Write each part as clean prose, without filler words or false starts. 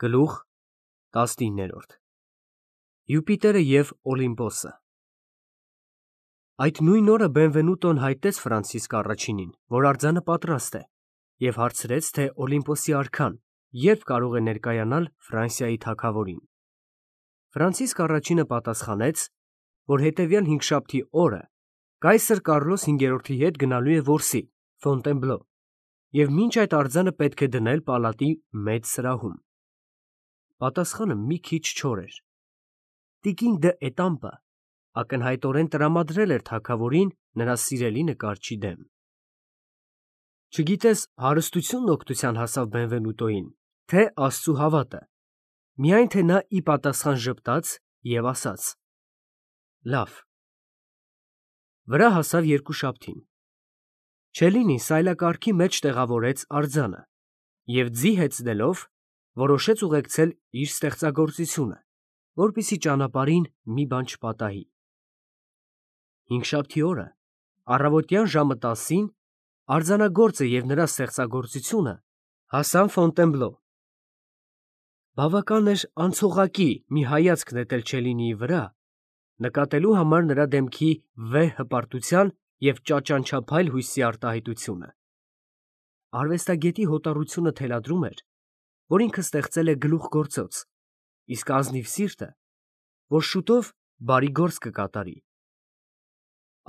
Գլուխ 19 Յուպիտերը և Օլիմպոսը Այդ նույն օրը Բենվենուտոն հայտնեց Ֆրանցիսկ առաջինին, որ արձանը պատրաստ է, և հարցրեց, թե Օլիմպոսի արքան երբ կարող է ներկայանալ Ֆրանսիայի թագավորին։ Ֆրանցիսկ առաջինը պատասխանեց, որ հետևյալ հինգշաբթի օրը կայսր Կարլոս V-ի հետ գնալու է որսի Ֆոնտենբլո, և մինչ այդ արձանը պետք է դնել պալատի մեծ սրահում։ Պատասխանը մի քիչ չոր էր։ Տիկին դ'Էտամպը ակնհայտորեն տրամադրել էր թագավորին նրա սիրելի նկարչի դեմ։ Չգիտես հարստությունն օգնության հասավ Բենվենուտոյին, թե Աստծու հավատը, միայն թե նա ի պատասխան ժպտաց և ասաց. «Լավ»։ Վրա հասավ երկուշաբթին։ Չելլինին սայլակարգի մեջ տեղավորեց արձանը և ձի հեծնելով որոշեց ուղեկցել իր ստեղծագործությունը, որպեսզի ճանապարհին մի բան չպատահի։ Հինգշաբթի օրը առավոտյան ժամը 10-ին արձանագործը և նրա ստեղծագործությունը հասան Ֆոնտենբլո։ Բավական էր անցողակի մի հայացք նետել Չելլինիի վրա, նկատելու համար նրա դեմքի վեհ հպարտության և ճաճանչափայլ հույսի արտահայտությունը։ Արվեստագետի հոտառությունը թելադրում էր, որ ինքը ստեղծել է գլուխգործոց, իսկ ազնիվ սիրտը, որ շուտով բարի գործ կկատարի։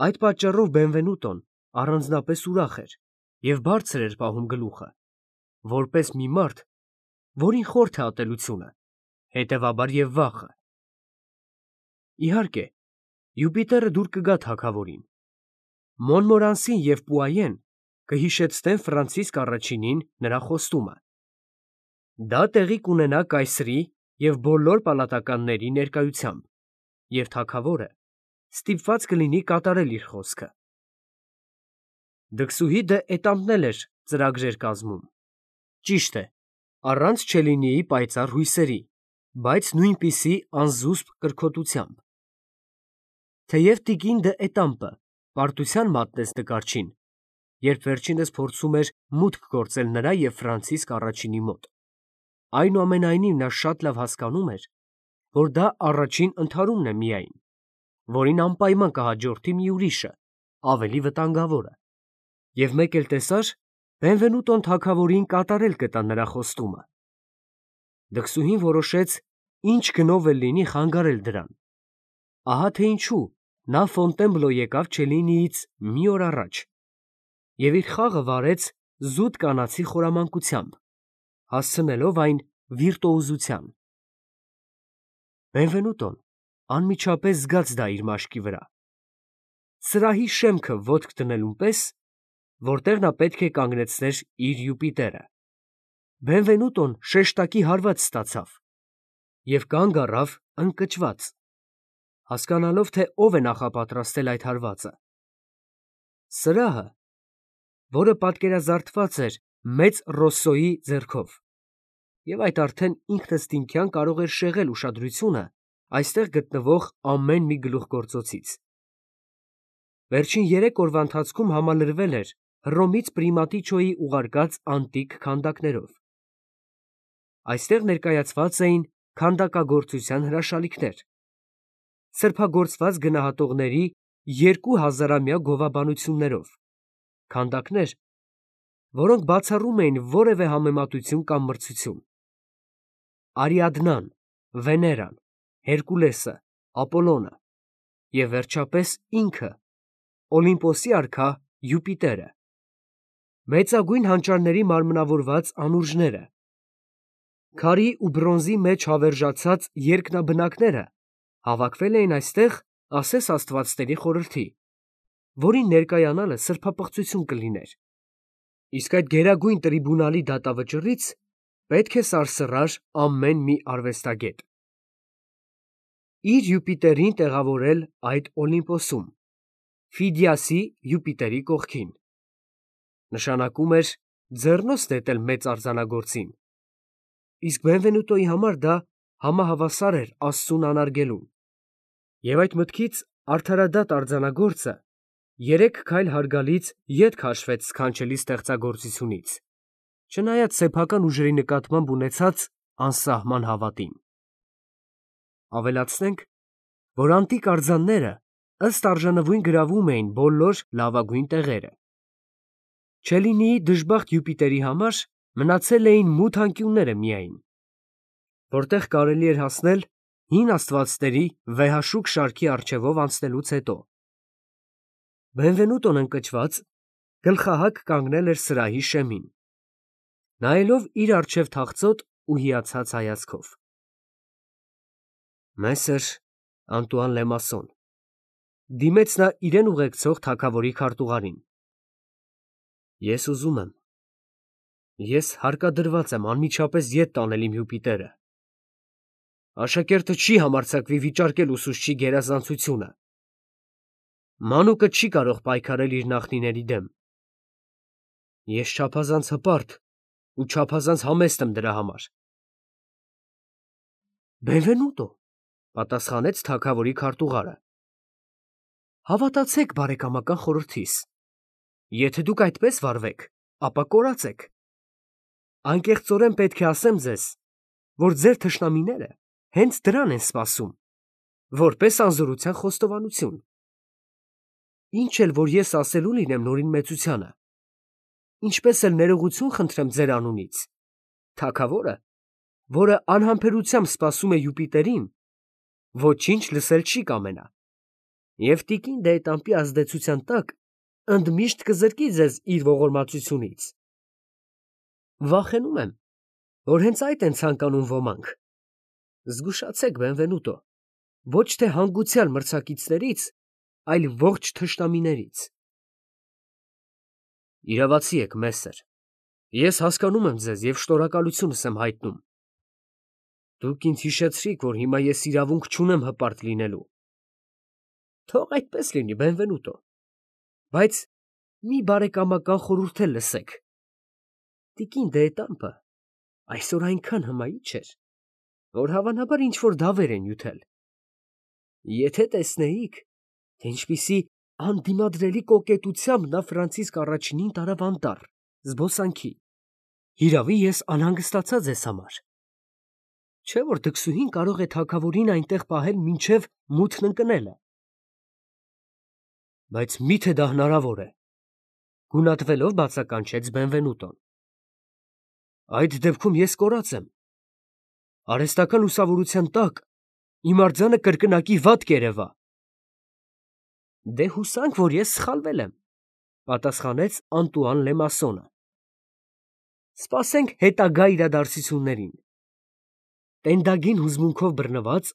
Այդ պատճառով Բենվենուտոն առանձնապես ուրախ էր և բարձր էր պահում գլուխը, որպես մի մարդ, որին խորթ է ատելությունը, հետևաբար և վախը։ Իհարկե, Յուպիտերը դուր կգա թագավորին։ Մոնմորանսին և Պուայեն կհիշեցնեն Ֆրանցիսկ առաջինին նրա խոստումը։ Դա տեղի կունենա կայսրի և բոլոր պալատականների ներկայությամբ, և թագավորը ստիպված կլինի կատարել իր խոսքը։ Դքսուհի դ'Էտամպն էլ էր ծրագրեր կազմում։ Ճիշտ է, առանց Չելլինիի պայծառ հույսերի, բայց նույնպիսի անզուսպ կրքոտությամբ։ Թեև տիկին դ'Էտամպը պարտության մատնեց նկարչին, երբ վերջինս փորձում էր մուտք գործել նրա և Ֆրանցիսկ առաջինի մոտ, այնուամենայնիվ նա շատ լավ հասկանում էր, որ դա առաջին ընդհարումն է միայն, որին անպայման կհաջորդի մի ուրիշը, ավելի վտանգավորը, և մեկ էլ տեսար, Բենվենուտոն թագավորին կատարել կտա նրա խոստումը։ Դքսուհին որոշեց ինչ գնով էլ լինի խանգարել դրան։ Ահա թե ինչու նա Ֆոնտենբլո եկավ Չելլինիից մի օր առաջ և իր խաղը վարեց զուտ կանացի խորամանկությամբ, հասցնելով այն վիրտուոզության։ Բենվենուտոն անմիջապես զգաց դա իր մաշկի վրա, սրահի շեմքը ոտք դնելուն պես, որտեղ նա պետք է կանգնեցներ իր Յուպիտերը։ Բենվենուտոն շեշտակի հարված ստացավ և կանգ առավ ընկճված, հասկանալով, թե ով է նախապատրաստել այդ հարվածը։ Սրահը, որը պատկերազարդված էր մեծ Ռոսսոյի ձեռքով, և այդ արդեն ինքնըստինքյան կարող էր շեղել ուշադրությունը այստեղ գտնվող ամեն մի գլուխգործոցից։ Վերջին 3 օրվա ընթացքում համալրվել էր Հռոմից Պրիմատիչոյի ուղարկած անտիկ քանդակներով։ Այստեղ ներկայացված էին քանդակագործության հրաշալիքներ, սրբագործված գնահատողների 2000-ամյա գովաբանություններով, քանդակներ, որոնք բացառում էին որևէ համեմատություն կամ մրցություն։ Արիադնան, Վեներան, Հերկուլեսը, Ապոլոնը և վերջապես ինքը՝ Օլիմպոսի արքա Յուպիտերը, մեծագույն հանճարների մարմնավորված անուրջները, քարի ու բրոնզի մեջ հավերժացած երկնաբնակները հավաքվել էին այստեղ ասես աստվածների խորհրդի, որին ներկայանալը սրբապղծություն կլիներ, իսկ այդ գերագույն տրիբունալի դատավճռից պետք է սարսռար ամեն մի արվեստագետ։ Իր Յուպիտերին տեղավորել այդ Օլիմպոսում, Ֆիդիասի Յուպիտերի կողքին, նշանակում էր ձեռնոց նետել մեծ արձանագործին, իսկ Բենվենուտոյի համար դա համահավասար էր Աստծուն անարգելուն։ Եվ այդ մտքից արդարադատ արձանագործը 3 քայլ հարգալից ետ քաշվեց սքանչելի ստեղծագործությունից, չնայած սեփական ուժերի նկատմամբ ունեցած անսահման հավատին։ Ավելացնենք, որ անտիկ արձանները ըստ արժանվույն գրավում էին բոլոր լավագույն տեղերը։ Չելինիի դժբախտ Յուպիտերի համար մնացել էին մութ անկյունները միայն, որտեղ կարելի էր հասնել հին աստվածների վեհաշուք շարքի առջևով անցնելուց հետո։ Բենվենուտոն ընկճված գլխահակ կանգնել էր սրահի շեմին, նայելով իր առջև թախծոտ ու հիացած հայացքով։ Մեսեր Անտուան Լեմասոն, դիմեց նա իրեն ուղեկցող թագավորի քարտուղարին։ Ես ուզում եմ։ Ես հարկադրված եմ անմիջապես ետ տանել իմ Յուպիտերը։ Աշակերտը չի համարձակվի վիճարկել ուսուցչի գերազանցությունը։ Մանուկը չի կարող պայքարել իր նախնիների դեմ։ Ես չափազանց հպարտ ու չափազանց համեստ եմ դրա համար։ Բենվենուտո, պատասխանեց թագավորի քարտուղարը։ Հավատացեք բարեկամական խորհրդիս։ Եթե դուք այդպես վարվեք, ապա կորած եք։ Անկեղծորեն պետք է ասեմ ձեզ, որ ձեր թշնամիները հենց դրան են սպասում, որպես անզորության խոստովանություն։ Ինչ էլ որ ես ասելու լինեմ Նորին մեծությանը, ինչպես էլ ներողություն խնդրեմ ձեր անունից, թագավորը, որը անհամբերությամբ սպասում է Յուպիտերին, ոչինչ լսել չի կամենա, և տիկին Դեետամպի ազդեցության տակ ընդմիշտ կզրկի ձեզ իր ողորմածությունից։ Վախենում եմ, որ հենց այդ են ցանկանում ոմանք։ Զգուշացեք, Բենվենուտո, ոչ թե հանգուցյալ մրցակիցներից, այլ ողջ թշնամիներից։ Իրավացի եք, Մեսեր, ես հասկանում եմ ձեզ և շնորհակալությունս եմ հայտնում։ Դուք ինձ հիշեցրիք, որ հիմա ես իրավունք չունեմ հպարտ լինելու։ Թող այդպես լինի, Բենվենուտո, բայց մի բարեկամական խորհուրդ էլ լսեք։ Տիկին Դեետամպը այսօր այնքան հմայիչ էր, որ հավանաբար ինչ-որ դավեր է նյութել։ Եթե տեսնեիք, թե ինչպիսի անդիմադրելի կոկետությամբ նա Ֆրանցիսկ առաջինին տարավ անտառ, զբոսանքի, հիրավի ես անհանգստացա ձեզ համար։ Չէ՞ որ դքսուհին կարող է թագավորին այնտեղ պահել մինչև մութն ընկնելը։ Բայց մի՞թե դա հնարավոր է, գունատվելով բացականչեց Բենվենուտոն։ Այդ դեպքում ես կորած եմ։ Արհեստական լուսավորության տակ իմ արձանը կրկնակի վատ կերևա։ Դե հուսանք, որ ես սխալվել եմ, պատասխանեց Անտուան Լեմասոնը։ Սպասենք հետագա իրադարձություններին։ Տենդագին հուզմունքով բռնված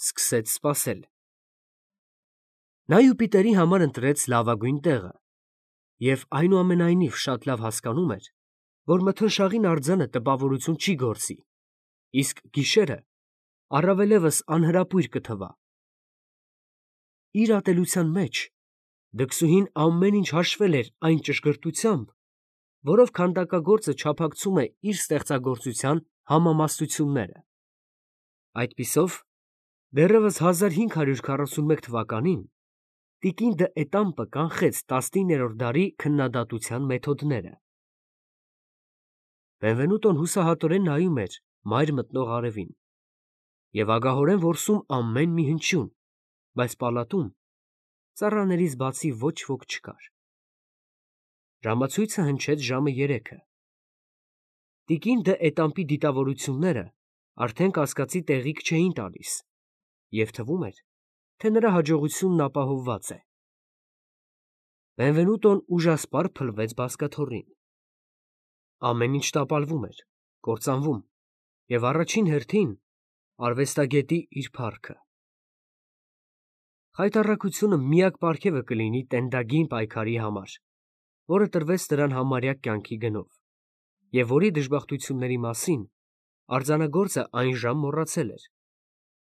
սկսեց սպասել։ Նա Յուպիտերի համար ընտրեց լավագույն տեղը և այնուամենայնիվ շատ լավ հասկանում էր, որ մթնշաղին արձանը տպավորություն չի գործի, իսկ գիշերը առավելևս անհրապույր կթվա։ Իր ատելության մեջ դքսուհին ամեն ինչ հաշվել էր այն ճշգրտությամբ, որով քանդակագործը չափակցում է իր ստեղծագործության համամասնությունները։ Այդպիսով, դեռևս 1541 թվականին տիկին Դ'Ետամպը կանխեց 19-րդ դարի քննադատության մեթոդները։ Բենվենուտոն հուսահատորեն նայում էր մայր մտնող արևին և ագահորեն որսում ամեն մի հնչյուն, բայց պալատում ծառաներից բացի ոչ ոք չկար։ Ժամացույցը հնչեց ժամը 3-ը։ Տիկին Դ'Ետամպի դիտավորությունները արդեն կասկածի տեղիք չէին տալիս, և թվում էր, թե նրա հաջողությունն ապահովված է։ Բենվենուտոն ուժասպառ փլվեց բազկաթոռին։ Ամեն ինչ տապալվում էր, կործանվում, և առաջին հերթին արվեստագետի իր փառքը։ Խայտառակությունը միակ պարգևը կլինի տենդագին պայքարի համար, որը տրվեց նրան համարյա կյանքի գնով, և որի դժբախտությունների մասին արձանագործը այնժամ մոռացել էր,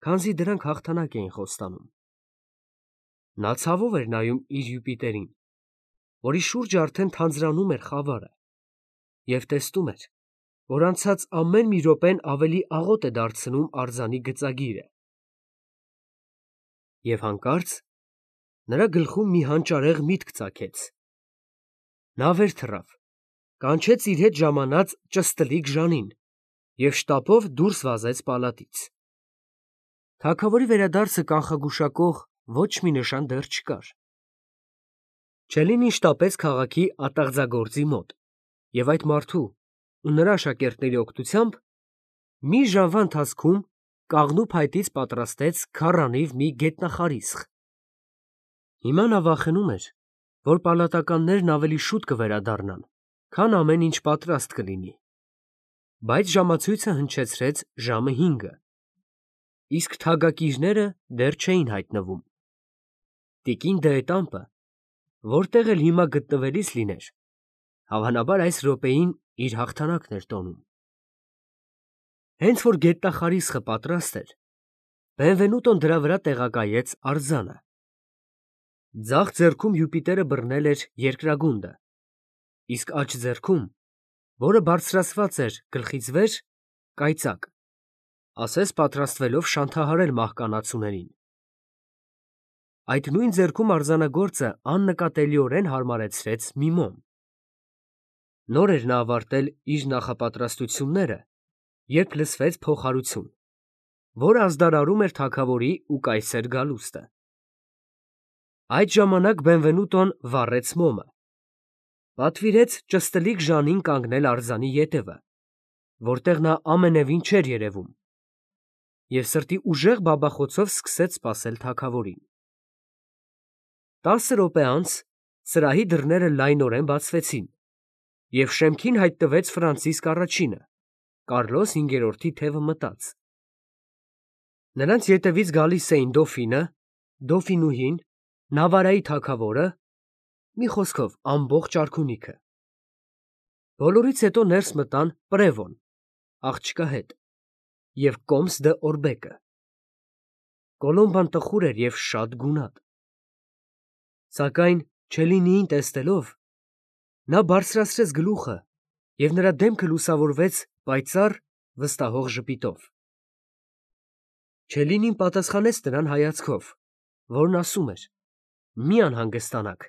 քանզի դրանք հաղթանակ էին խոստանում։ Նա ցավով էր նայում իր Յուպիտերին, որի շուրջը արդեն թանձրանում էր խավարը, և տեսնում էր, որ անցած ամեն մի րոպեն ավելի աղոտ է դարձնում արձանի գծագիրը։ Եվ հանկարծ նրա գլխում մի հանճարեղ միտք ծագեց։ Նա վեր թռավ, կանչեց իր հետ ժամանած ճստլիկ Ժանին և շտապով դուրս վազեց պալատից։ Թագավորի վերադարձը կանխագուշակող ոչ մի նշան դեռ չկար։ Չելինին շտապեց քաղաքի ատաղձագործի մոտ և այդ մարդու ու նրա աշակերտների օգնությամբ մի ժամվա ընթացքում կաղնու փայտից պատրաստեց քառանիվ մի գետնախարիսխ։ Հիմա նա վախենում էր, որ պալատականներն ավելի շուտ կվերադառնան, քան ամեն ինչ պատրաստ կլինի, բայց ժամացույցը հնչեցրեց ժամը 5-ը, իսկ թագակիրները դեռ չէին հայտնվում։ Տիկին դ'Ետամպը, որտեղ էլ հիմա գտնվելիս լիներ, հավանաբար այս րոպեին իր հաղթանակն էր տոնում։ Հենց որ գետնախարիսխը պատրաստ էր, Բենվենուտոն դրա վրա տեղակայեց արձանը։ Ձախ ձեռքում Յուպիտերը բռնել էր երկրագունդը, իսկ աջ ձեռքում, որը բարձրացված էր գլխից վեր, կայծակ, ասես պատրաստվելով շանթահարել մահկանացուներին։ Այդ նույն ձեռքում արձանագործը աննկատելիորեն հարմարեցրեց մի մոմ։ Նոր էր նա ավարտել իր նախապատրաստությունները, երբ լսվեց փոխհարություն, որը ազդարարում էր թագավորի ու կայսեր գալուստը։ Այդ ժամանակ Բենվենուտոն վառեց մոմը, պատվիրեց ճստլիկ Ժանին կանգնել արձանի ետևը, որտեղ նա ամենևին չէր երևում, և սրտի ուժեղ բաբախոցով սկսեց սպասել թագավորին։ 10 րոպե անց սրահի դռները լայնորեն բացվեցին, և շեմքին հայտնվեց Ֆրանցիսկ առաջինը, Կարլոս 5-րդի թևը մտած։ Նրանց ետևից գալիս էին դոֆինը, դոֆինուհին, Նավարայի թագավորը, մի խոսքով ամբողջ արքունիքը։ Բոլորից հետո ներս մտան Պրևոն, աղջկա հետ, և Կոմս դ'Օրբեկը։ Կոլոմբան տխուր էր և շատ գունատ։ Սակայն Չելինիին տեսնելով, նա բարձրացրեց գլուխը, և նրա դեմքը լուսավորվեց պայծառ, վստահող ժպիտով։ Չելինին պատասխանեց նրան հայացքով, որն ասում էր. «Մի անհանգստանաք,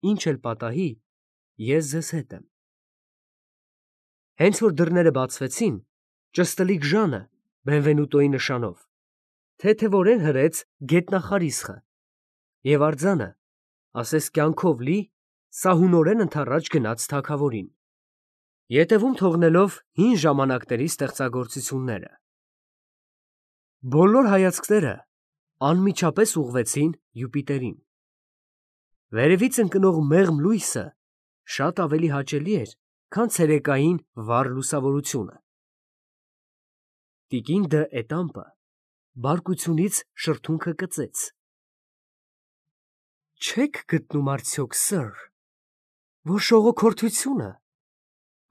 ինչ էլ պատահի, ես ձեզ հետ եմ»։ Հենց որ դռները բացվեցին, ճստլիկ Ժանը Բենվենուտոյի նշանով թեթևորեն հրեց գետնախարիսխը, և արձանը, ասես կյանքով լի, սահունորեն ընդառաջ գնաց թագավորին, ետևում թողնելով հին ժամանակների ստեղծագործությունները։ Բոլոր հայացքները անմիջապես ուղղվեցին Յուպիտերին։ Վերևից ընկնող մեղմ լույսը շատ ավելի հաճելի էր, քան ցերեկային վառ լուսավորությունը։ Տիկին դ'Ետամպը բարկությունից շրթունքը կծեց։ «Չե՞ք գտնում արդյոք, սըր, որ շողոքորթությունը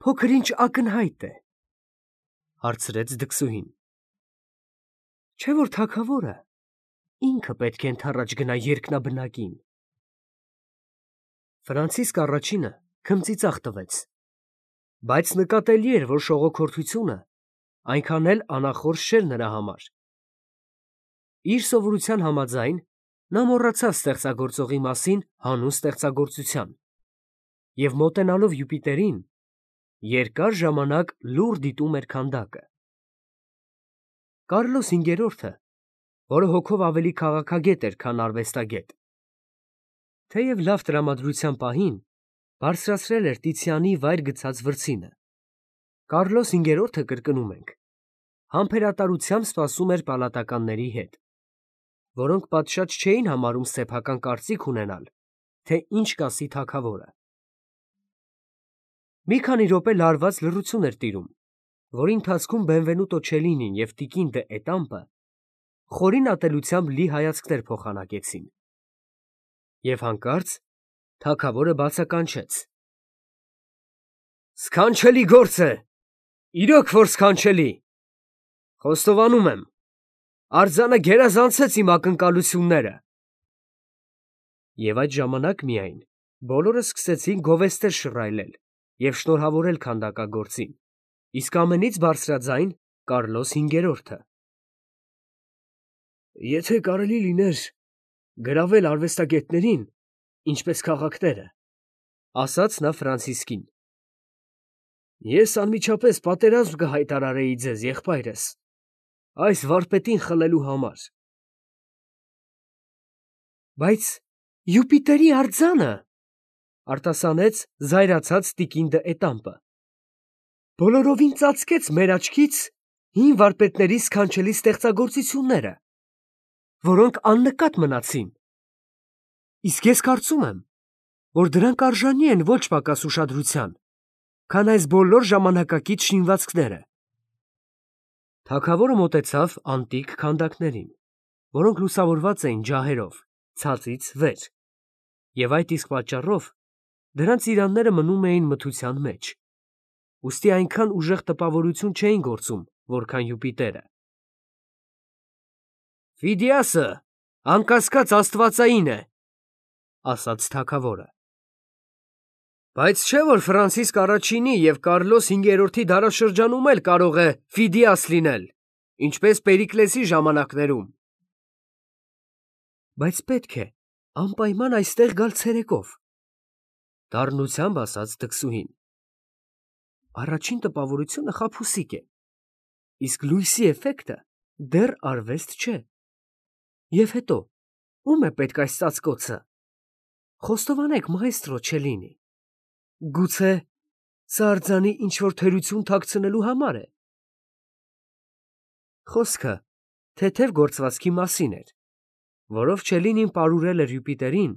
փոքր-ինչ ակնհայտ է», հարցրեց դքսուհին։ «Չէ՞ որ թագավորը ինքը պետք է ընդառաջ գնա երկնաբնակին»։ Ֆրանցիսկ առաջինը քմծիծաղ տվեց, բայց նկատելի էր, որ շողոքորթությունը այնքան էլ անախորժ չէր նրա համար։ Իր սովորության համաձայն, նա մոռացավ ստեղծագործողի մասին հանուն ստեղծագործության և մոտենալով Յուպիտերին, երկար ժամանակ լուռ դիտում էր քանդակը։ Կարլոս 5-րդը, որը հոգով ավելի քաղաքագետ էր, քան արվեստագետ, թեև լավ տրամադրության պահին բարձրացրել էր Տիցիանի վայր գցած վրձինը, Կարլոս 5-րդը, կրկնում ենք, համբերատարությամբ սպասում էր պալատականների հետ, որոնք պատշաճ չէին համարում սեփական կարծիք ունենալ, թե ինչ կասի թագավորը։ Մի քանի րոպե լարված լռություն էր տիրում, որի ընթացքում Բենվենուտո Չելինին և տիկին դ'Ետամպը խորին ատելությամբ լի հայացքներ փոխանակեցին։ Եվ հանկարծ թագավորը բացականչեց. «Սքանչելի գործ է, իրոք որ սքանչելի։ Խոստովանում եմ, արձանը գերազանցեց իմ ակնկալությունները»։ Եվ այդ ժամանակ միայն բոլորը սկսեցին գովեստեր շռայլել և շնորհավորել քանդակագործին, իսկ ամենից բարձրաձայն Կարլոս 5-րդը։ «Եթե կարելի լիներ գրավել արվեստագետներին, ինչպես քաղաքները», ասաց նա Ֆրանցիսկին, Ես անմիջապես պատերազմ կհայտարարեի ձեզ, եղբայրս, այս վարպետին խլելու համար։ Բայց Յուպիտերի արձանը, արտասանեց զայրացած տիկին դը Էտամպը, բոլորովին ծածկեց մեր աչքից հին վարպետների սքանչելի ստեղծագործությունները, որոնք աննկատ մնացին։ Իսկ ես կարծում եմ, որ դրանք արժանի են ոչ պակաս ուշադրության, քան այս բոլոր ժամանակակից շինվածքները։ Թագավորը մոտեցավ անտիկ քանդակներին, որոնք լուսավորված էին ջահերով, ցածից վեր, և այդ իսկ պատճառով դրանց իրանները մնում էին մթության մեջ, ուստի այնքան ուժեղ տպավորություն չէին գործում, որքան Յուպիտերը։ Ֆիդիասը անկասկած աստվածային է, ասաց թագավորը։ Բայց չէ՞ որ Ֆրանցիսկ առաջինի և Կարլոս հինգերորդի դարաշրջանում էլ կարող է Ֆիդիաս լինել, ինչպես Պերիկլեսի ժամանակներում։ Բայց պետք է անպայման այստեղ գալ ցերեկով, դառնությամբ ասաց դքսուհին։ Առաջին տպավորությունը խաբուսիկ է, իսկ լույսի էֆեկտը դեռ արվեստ չէ։ Եվ հետո, ո՞ւմ է պետք այս ծածկոցը։ Խոստովանեք, մայստրո Չելլինի, գուցե սա արձանի ինչ-որ թերություն թաքցնելու համար է։ Խոսքը թեթև գործվածքի մասին էր, որով Չելլինին պարուրել էր Յուպիտերին,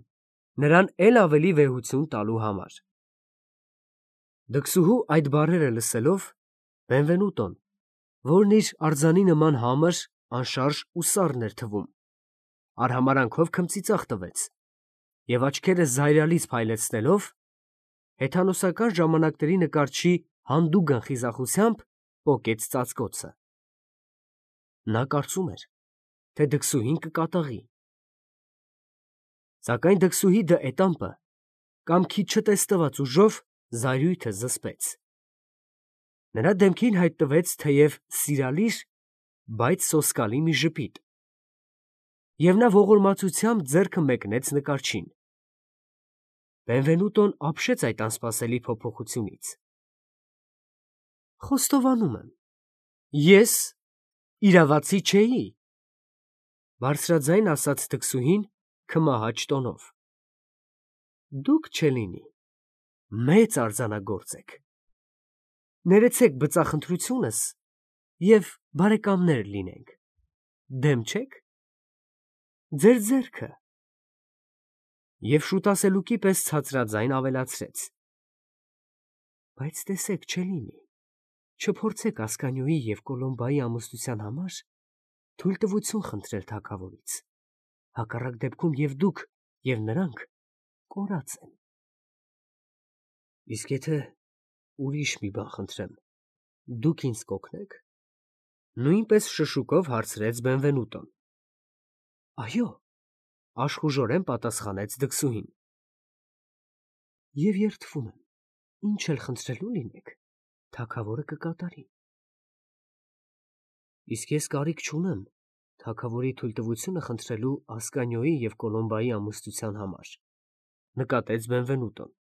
նրան էլ ավելի վեհություն տալու համար։ Դքսուհու այդ բառերը լսելով, Բենվենուտոն, որն իր արձանի նման համր, անշարժ ու սառն էր թվում, արհամարանքով քմծիծաղ տվեց և աչքերը զայրալից փայլեցնելով, հեթանոսական ժամանակների նկարչի հանդուգն խիզախությամբ պոկեց ծածկոցը։ Նա կարծում էր, թե դքսուհին կկատաղի։ Սակայն դքսուհի դը Էտամպը կամքի չտեսնված ուժով զայրույթը զսպեց։ Նրա դեմքին հայտնվեց թեև սիրալիր, բայց սոսկալի մի ժպիտ, և նա ողորմածությամբ ձեռքը մեկնեց նկարչին։ Բենվենուտոն ապշեց այդ անսպասելի փոփոխությունից։ Խոստովանում եմ, ես իրավացի չէի, բարձրաձայն ասաց դքսուհին քմահաճ տոնով։ Դուք, Չելլինի, մեծ արձանագործ եք։ Ներեցեք բծախնդրությունս և բարեկամներ լինենք, դեմ չե՞ք։ Ձեր ձեռքը։ Եվ շուտասելուկի պես ցածրաձայն ավելացրեց. Բայց տեսեք, Չելլինի, չփորձեք Ասկանիոյի և Կոլոմբայի ամուսնության համար թույլտվություն խնդրել թագավորից, հակառակ դեպքում և դուք, և նրանք կորած են։ Իսկ եթե ուրիշ մի բան խնդրեմ, դուք ինձ կօգնե՞ք։ Նույնպես շշուկով հարցրեց Բենվենուտոն։ Այո, աշխուժորեն պատասխանեց դքսուհին։ Եվ երդվում եմ, ինչ էլ խնդրելու լինեք, թագավորը կկատարի։ Իսկ ես կարիք չունեմ թագավորի թույլտվությունը խնդրելու Ասկանիոյի և Կոլոմբայի ամուսնության համար, նկատեց Բենվենուտոն։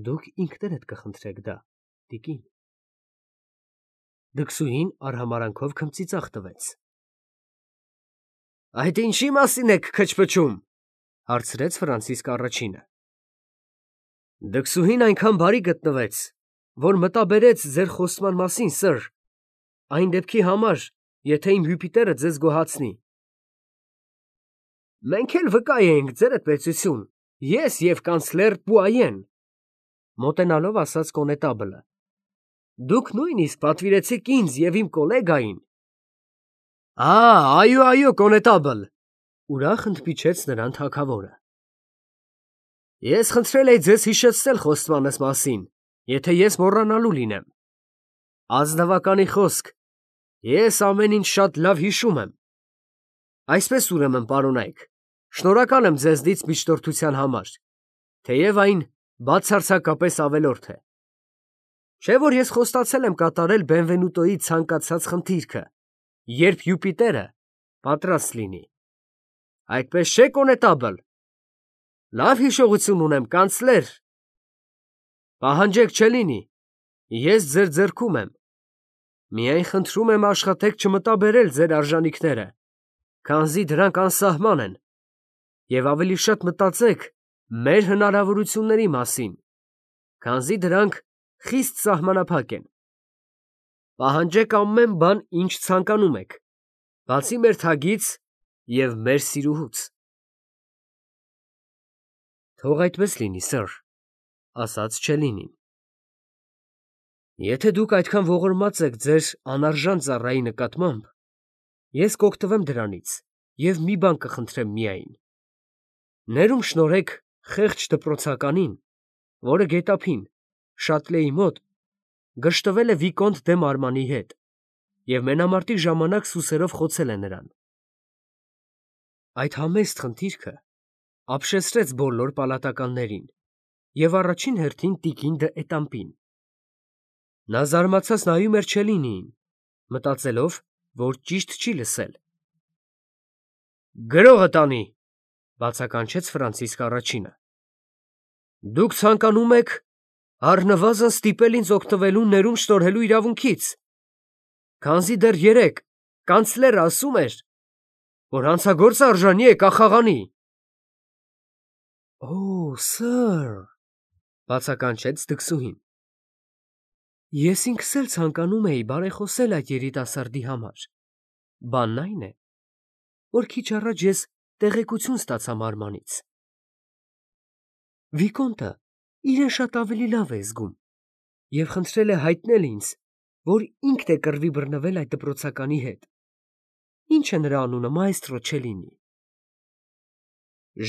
Դուք ինքներդ կխնդրեք դա, տիկին։ Դքսուհին արհամարանքով քմծիծաղ տվեց։ Այդ ինչի մասին եք քչփչում, հարցրեց Ֆրանցիսկ առաջինը։ Դքսուհին այնքան բարի գտնվեց, որ մտաբերեց ձեր խոստման մասին, սըր, այն դեպքի համար, եթե իմ Յուպիտերը ձեզ գոհացնի։ Մենք էլ վկա էինք, ձերդ պետություն, ես և կանցլեր Պուայեն, մոտենալով ասաց կոնետաբլը։ Դուք նույնիսկ պատվիրեցիք ինձ և իմ կոլեգային։ Այո, կոնետաբլ, ուրախ ընդմիջեց նրան թագավորը։ Ես խնդրել էի ձեզ հիշեցնել խոստմանս մասին, եթե ես մոռանալու լինեմ։ Ազնվականի խոսք, ես ամեն ինչ շատ լավ հիշում եմ։ Այսպես ուրեմն, պարոնայք, շնորհակալ եմ ձեզնից միջնորդության համար, թեև այն բացարձակապես ավելորդ է։ Չէ՞ որ ես խոստացել եմ կատարել Բենվենուտոյի ցանկացած խնդիրքը, երբ Յուպիտերը պատրաստ լինի։ Այդպես չէ՞, կոնետաբլ։ Լավ հիշողություն ունեմ, կանցլեր։ Պահանջեք, Չելլինի, Ես ձեր ձեռքում եմ։ Միայն խնդրում եմ աշխատեք չմտաբերել ձեր արժանինքները, քանզի դրանք անսահման են, և ավելի շատ մտածեք մեր հնարավորությունների մասին, քանզի դրանք խիստ սահմանափակ են։ Պահանջեք ամեն բան, ինչ ցանկանում եք, բացի մեր թագից և մեր սիրուհուց։ Թող այդպես լինի, սըր, ասաց Չելինին։ Եթե դուք այդքան ողորմած եք ձեր անարժան ծառայի նկատմամբ, ես կօգտվեմ դրանից և մի բան կխնդրեմ միայն. ներում շնորհեք խեղճ դպրոցականին, որը գետափին, Շատլեի մոտ, գժտվել է վիկոնտ դե Մարմանի հետ և մենամարտի ժամանակ սուսերով խոցել է նրան։ Այդ համեստ խնդիրքը ապշեցրեց բոլոր պալատականներին և առաջին հերթին տիկին դը Էտամպին։ Նա զարմացած նայում էր Չելինիին, մտածելով, որ ճիշտ չի լսել։ «Գրողը տանի», բացականչեց Ֆրանցիսկ առաջինը։ «Դուք ցանկանում եք առնվազն ստիպել ինձ օգտվելու ներում շնորհելու իրավունքից, քանզի դեռ երեկ կանցլերը ասում էր, որ հանցագործը արժանի է կախաղանի»։ «Օ, սըր», բացականչեց դքսուհին, ես ինքս էլ ցանկանում էի բարեխոսել այդ երիտասարդի համար, բանն այն է, որ քիչ առաջ ես տեղեկություն ստացա Մարմանից։ Վիկոնտը իրեն շատ ավելի լավ է զգում և խնդրել է հայտնել ինձ, որ ինքն է կռվի բռնվել այդ դպրոցականի հետ։ Ի՞նչ է նրա անունը, մայստրո Չելինի։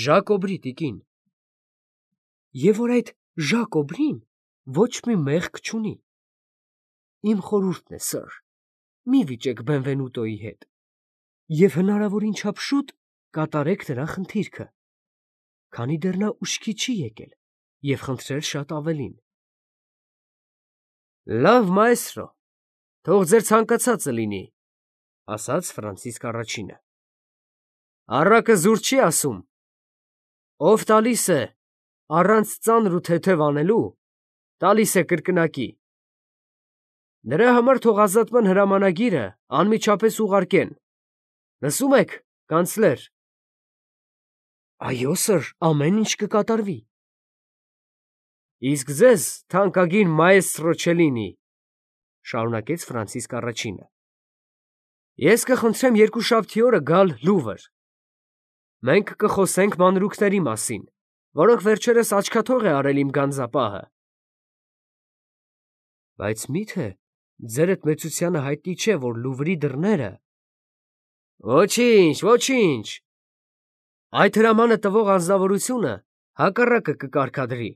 Ժակ Օբրի, տիկին։ Եվ որ այդ Ժակ Օբրին ոչ մի մեղք չունի։ Իմ խորհուրդն է, սըր, մի վիճեք Բենվենուտոյի հետ և հնարավորին չափ շուտ կատարեք նրա խնդիրքը, քանի դեռ նա ուշքի չի եկել և խնդրել շատ ավելին։ Լավ, մայստրո, թող ձեր ցանկացածը լինի, ասաց Ֆրանցիսկ առաջինը։ Առակը զուր չի ասում. ով տալիս է առանց ծանր ու թեթև անելու, տալիս է կրկնակի։ Նրա համար թող ազատման հրամանագիրը անմիջապես ուղարկեն։ Լսում եք, կանցլեր։ Այո, սըր, ամեն ինչ կկատարվի։ Իսկ ձեզ, թանկագին մայստրո Չելինի, շարունակեց Ֆրանցիսկ առաջինը, ես կխնդրեմ երկուշաբթի օրը գալ Լուվր։ Մենք կխոսենք մանրուքների մասին, որոնք վերջերս աչքաթող է արել իմ գանձապահը։ Բայց մի՞թե ձերդ մեծությանը հայտնի չէ, որ Լուվրի դռները… Ոչինչ, ոչինչ, այդ հրամանը տվող անձնավորությունը հակառակը կկարգադրի։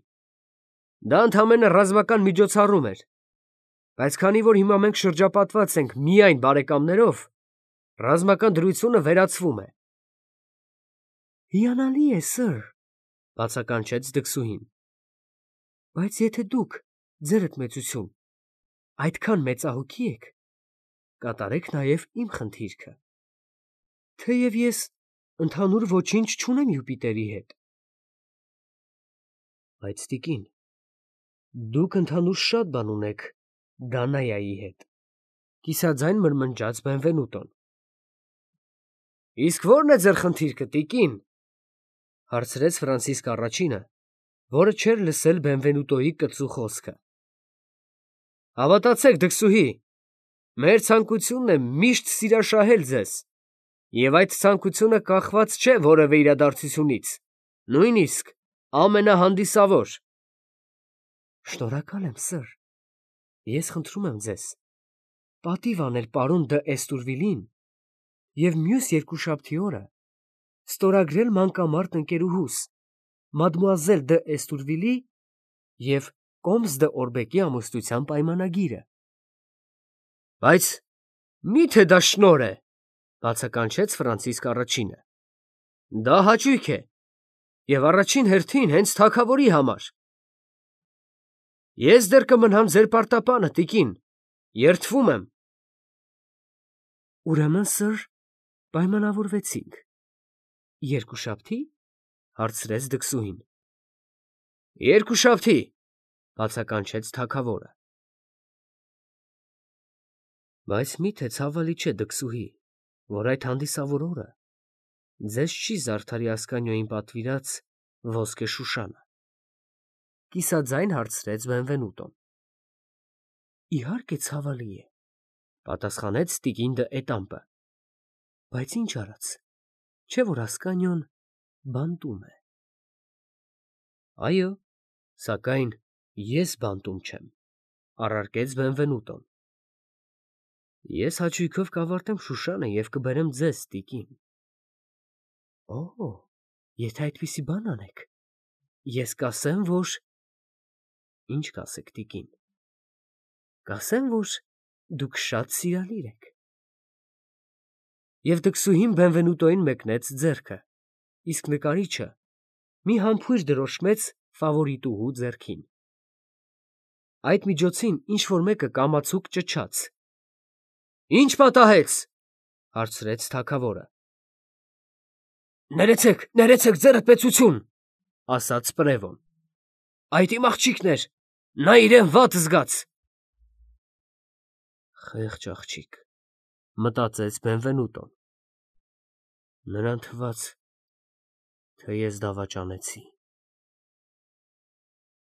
Դա ընդամենը ռազմական միջոցառում էր, բայց քանի որ հիմա մենք շրջապատված ենք միայն բարեկամներով, ռազմական դրությունը վերացվում է։ Հիանալի է, սըր, բացականչեց դքսուհին, բայց եթե դուք, ձերդ մեծություն, այդքան մեծահոգի եք, կատարեք նաև իմ խնդիրքը, թեև ես ընդհանուր ոչինչ չունեմ Յուպիտերի հետ։ Բայց տիկին, դուք ընդհանուր շատ բան ունեք Դանայայի հետ, կիսաձայն մրմնջաց Բենվենուտոն։ Իսկ ո՞րն է ձեր խնդիրքը, տիկին, հարցրեց Ֆրանցիսկ առաջինը, որը չէր լսել Բենվենուտոյի կծու խոսքը։ Հավատացեք, դքսուհի, մեր ցանկությունն է միշտ սիրաշահել ձեզ, և այդ ցանկությունը կախված չէ որևէ իրադարձությունից, նույնիսկ ամենահանդիսավոր։ Շնորհակալ եմ, սըր, ես խնդրում եմ ձեզ, պատիվ անել պարոն դը Էստուրվիլին և մյուս երկուշաբթի օրը ստորագրել մանկամարտ ընկերուհուս, մադմուազել դը Էստուրվիլի և կոմս դը Օրբեկի ամուսնության պայմանագիրը։ Բայց մի՞թե դա շնորհ է, բացականչեց Ֆրանցիսկ առաջինը։ Դա հաճույք է, և առաջին հերթին հենց թագավորի համար։ Ես դեռ կմնամ ձեր պարտապանը, տիկին, երդվում եմ։ Ուրեմն, սըր, պայմանավորվեցինք։ Երկուշաբթի՞, հարցրեց դքսուհին։ Երկուշաբթի, բացականչեց թագավորը։ Բայց միթե ցավալի չէ դքսուհի, որ այդ հանդիսավոր օրը ձեզ չի զարդարի Ասկանիոյին պատվիրած ոսկե շուշանը։ Կիսաձայն հարցրեց Բենվենուտոն։ Իհարկե ցավալի է, պատասխանեց տիկին դը Էտամպը։ Բայց ինչ արած, չէ որ Ասկանիոն բանտում է։ Այո, սակայն ես բանտում չեմ, առարկեց Բենվենուտոն։ Ես հաճույքով կավարտեմ Շուշանը և կբերեմ ձեզ, տիկին։ Օ, եթե այդպիսի բան անեք, ես կասեմ, որ… Ինչ կասեք, տիկին։ Կասեմ, որ դուք շատ սիրալիր եք։ Եվ դքսուհին Բենվենուտոյին մեկնեց ձեռքը, իսկ նկարիչը մի համբույր դրոշմեց ֆավորիտուհու ձեռքին։ Այդ միջոցին ինչ-որ մեկը կամացուկ ճչաց. Ի՞նչ պատահեց, հարցրեց թագավորը։ Ներեցեք, ձեռդ պեցություն, ասաց Պրևոն։ Այդ իմ աղջիկն էր, նա իրեն վատ զգաց։ Խեղճ աղջիկ, մտածեց Բենվենուտոն։ Նրան թվաց, թե ես դավաճանեցի։